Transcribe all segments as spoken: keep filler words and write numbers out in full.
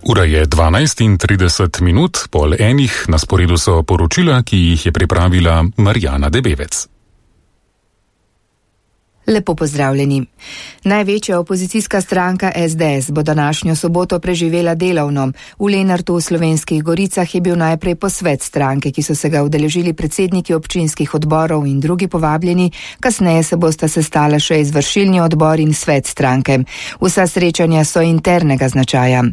Ura je dvanajst in trideset minut, pol enih, na sporedu so poročila, ki jih je pripravila Marjana Debevec. Lepo pozdravljeni. Največja opozicijska stranka es de es bo današnjo soboto preživela delovno. V Lenartu v Slovenskih Goricah je bil najprej posvet stranke, ki so se ga udeležili predsedniki občinskih odborov in drugi povabljeni, kasneje se bosta sestala še izvršilni odbor in svet stranke. Vsa srečanja so internega značaja.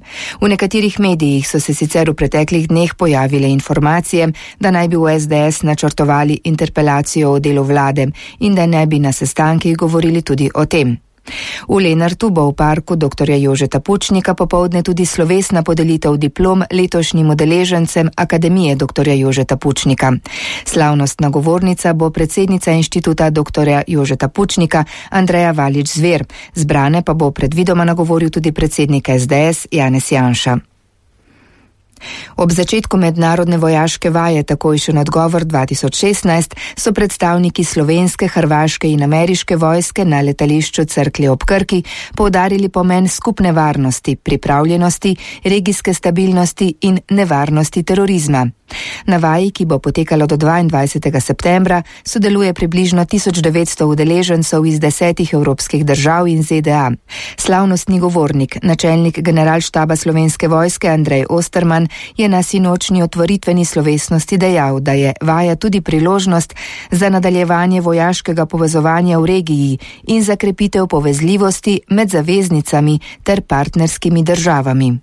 V nekaterih medijih so se sicer v preteklih dneh pojavile informacije, da naj bi v es de es načrtovali interpelacijo o delu vlade in da ne bi na sestankih govorili tudi o tem. V Lenartu bo v parku doktorja Jožeta Pučnika popoldne tudi slovesna podelitev diplom letošnjim udeležencem Akademije doktorja Jožeta Pučnika. Slavnostna govornica bo predsednica inštituta doktorja Jožeta Pučnika Andreja Valič-Zver. Zbrane pa bo predvidoma nagovoril tudi predsednik es de es Janez Janša. Ob začetku mednarodne vojaške vaje takojšen odgovor dva tisoč šestnajst so predstavniki slovenske, hrvaške in ameriške vojske na letališču Cerklje ob Krki poudarili pomen skupne varnosti, pripravljenosti, regijske stabilnosti in nevarnosti terorizma. Na vaji, ki bo potekalo do dvaindvajsetega septembra, sodeluje približno tisoč devetsto udeležencev iz desetih evropskih držav in ze de a. Slavnostni govornik, načelnik generalštaba Slovenske vojske Andrej Osterman, je na sinočni otvoritveni slovesnosti dejal, da je vaja tudi priložnost za nadaljevanje vojaškega povezovanja v regiji in za krepitev povezljivosti med zaveznicami ter partnerskimi državami.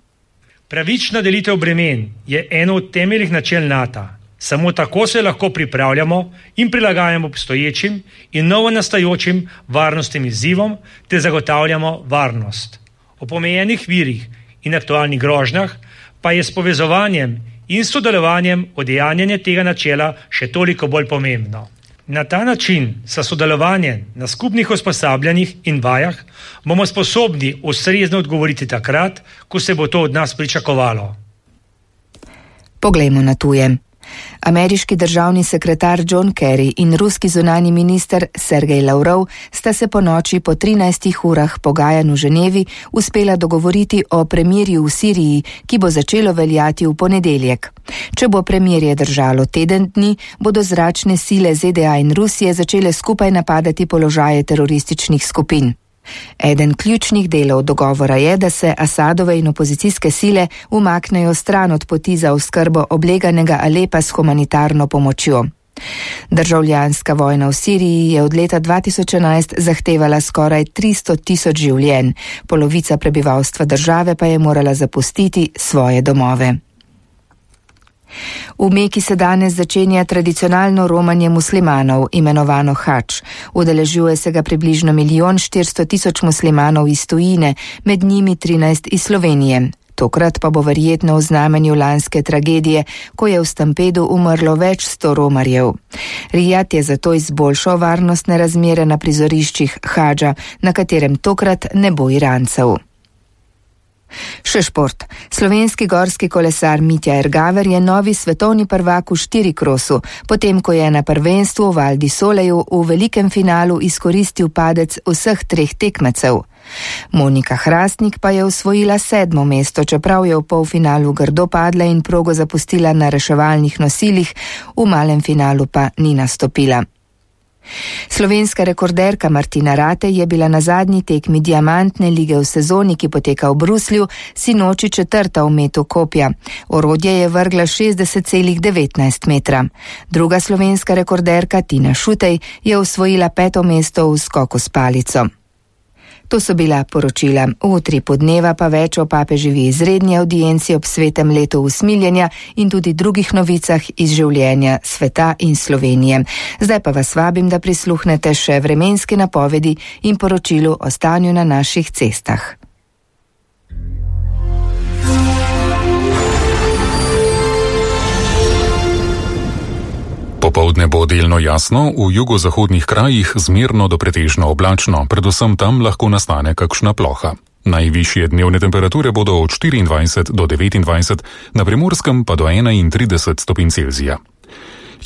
Pravična delitev bremen je eno od temeljnih načel nata. Samo tako se lahko pripravljamo in prilagajamo obstoječim in novo nastajočim varnostnim izzivom te zagotavljamo varnost. O pomejenih virih in aktualnih grožnjah pa je s povezovanjem in sodelovanjem udejanjanje tega načela še toliko bolj pomembno. Na ta način, sa sodelovanjem na skupnih usposabljanjih in vajah, bomo sposobni ustrezno odgovoriti takrat, ko se bo to od nas pričakovalo. Poglejmo na tuje. Ameriški državni sekretar John Kerry in ruski zunanji minister Sergej Lavrov sta se po noči po trinajstih urah pogajanj v Ženevi uspela dogovoriti o premirju v Siriji, ki bo začelo veljati v ponedeljek. Če bo premirje držalo teden dni, bodo zračne sile ze de a in Rusije začele skupaj napadati položaje terorističnih skupin. Eden ključnih delov dogovora je, da se Asadove in opozicijske sile umaknejo stran od poti za oskrbo obleganega Alepa s humanitarno pomočjo. Državljanska vojna v Siriji je od leta dva tisoč enajst zahtevala skoraj tristo tisoč življenj, polovica prebivalstva države pa je morala zapustiti svoje domove. V Meki se danes začenja tradicionalno romanje muslimanov, imenovano hadž. Udeležuje se ga približno milijon štiristo tisoč muslimanov iz tujine, med njimi trinajst iz Slovenije. Tokrat pa bo verjetno v znamenju lanske tragedije, ko je v stampedu umrlo več sto romarjev. Rijad je zato izboljšal varnostne razmere na prizoriščih hadža, na katerem tokrat ne bo Irancev. Še šport. Slovenski gorski kolesar Mitja Ergaver je novi svetovni prvak v štirikrosu, potem ko je na prvenstvu v Val di Soleju v velikem finalu izkoristil padec vseh treh tekmecev. Monika Hrastnik pa je osvojila sedmo mesto, čeprav je v polfinalu grdo padla in progo zapustila na reševalnih nosilih, v malem finalu pa ni nastopila. Slovenska rekorderka Martina Ratej je bila na zadnji tekmi diamantne lige v sezoni, ki poteka v Bruslju, sinoči četrta v metu kopja. Orodje je vrgla šestdeset celih devetnajst metra. Druga slovenska rekorderka Tina Šutej je osvojila peto mesto v skoku s palico. To so bila poročila. V utripu dneva pa več o papeževi izredni audienci ob svetem letu usmiljenja in tudi drugih novicah iz življenja sveta in Slovenije. Zdaj pa vas vabim, da prisluhnete še vremenski napovedi in poročilu o stanju na naših cestah. Popoldne bo delno jasno, v jugozahodnih krajih zmerno do pretežno oblačno, predvsem tam lahko nastane kakšna ploha. Najvišje dnevne temperature bodo od štiriindvajset do devetindvajset, na Primorskem pa do enaintrideset stopinj Celzija.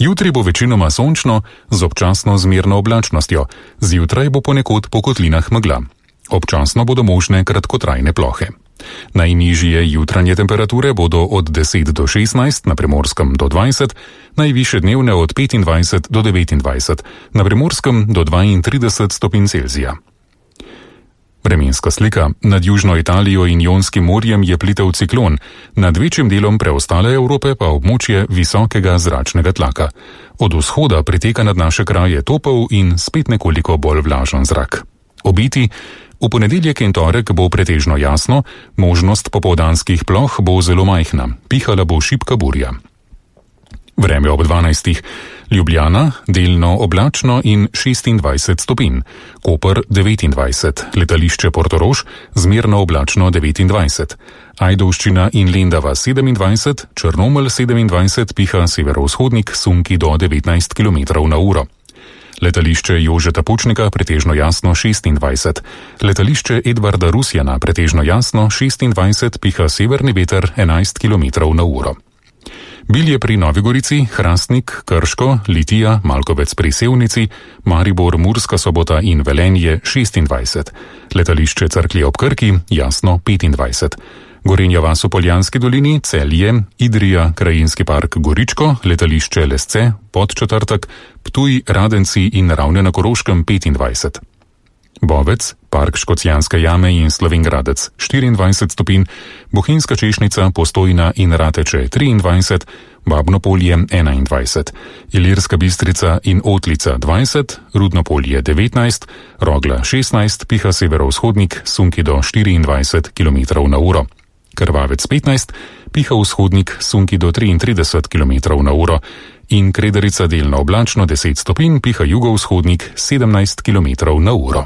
Jutri bo večinoma sončno z občasno zmerno oblačnostjo, zjutraj bo ponekod po kotlinah megla. Občasno bodo možne kratkotrajne plohe. Najnižje jutranje temperature bodo od deset do šestnajst, na Primorskem do dvajset, najvišje dnevne od petindvajset do devetindvajset, na Primorskem do dvaintrideset stopinj Celzija. Vremenska slika. Nad južno Italijo in Jonskim morjem je plitev ciklon, nad večjim delom preostale Evrope pa območje visokega zračnega tlaka. Od vzhoda priteka nad naše kraje topel in spet nekoliko bolj vlažen zrak. Obeti. V ponedeljek in torek bo pretežno jasno, možnost popoldanskih ploh bo zelo majhna, pihala bo šibka burja. Vreme ob dvanajstih. Ljubljana, delno oblačno in šestindvajset stopinj. Koper devetindvajset, letališče Portorož, zmerno oblačno devetindvajset. Ajdovščina in Lendava sedemindvajset, Črnomelj sedemindvajset, piha severovzhodnik sunki do devetnajst kilometrov na uro. Letališče Jožeta Pučnika pretežno jasno šestindvajset. Letališče Edvarda Rusjana pretežno jasno šestindvajset, piha severni veter enajst kilometrov na uro. Bilje pri Novi Gorici, Hrastnik, Krško, Litija, Malkovec pri Sevnici, Maribor, Murska Sobota in Velenje šestindvajset. Letališče Cerklje ob Krki jasno petindvajset. Gorenja vas v Poljanski dolini, Celje, Idrija, Krajinski park Goričko, letališče Lesce, Podčetrtek, Ptuj, Radenci in Ravne na Koroškem petindvajset. Bovec, park Škocjanske jame in Slovengradec štiriindvajset stopinj, Bohinjska Češnica, Postojna in Rateče triindvajset, Babno polje enaindvajset, Ilirska Bistrica in Otlica dvajset, Rudno polje devetnajst, Rogla šestnajst, piha severovzhodnik, sunki do štiriindvajset kilometrov na uro. Krvavec petnajst, piha vzhodnik, sunki do triintrideset kilometrov na uro in Krederica delno oblačno deset stopinj, piha jugovzhodnik sedemnajst kilometrov na uro.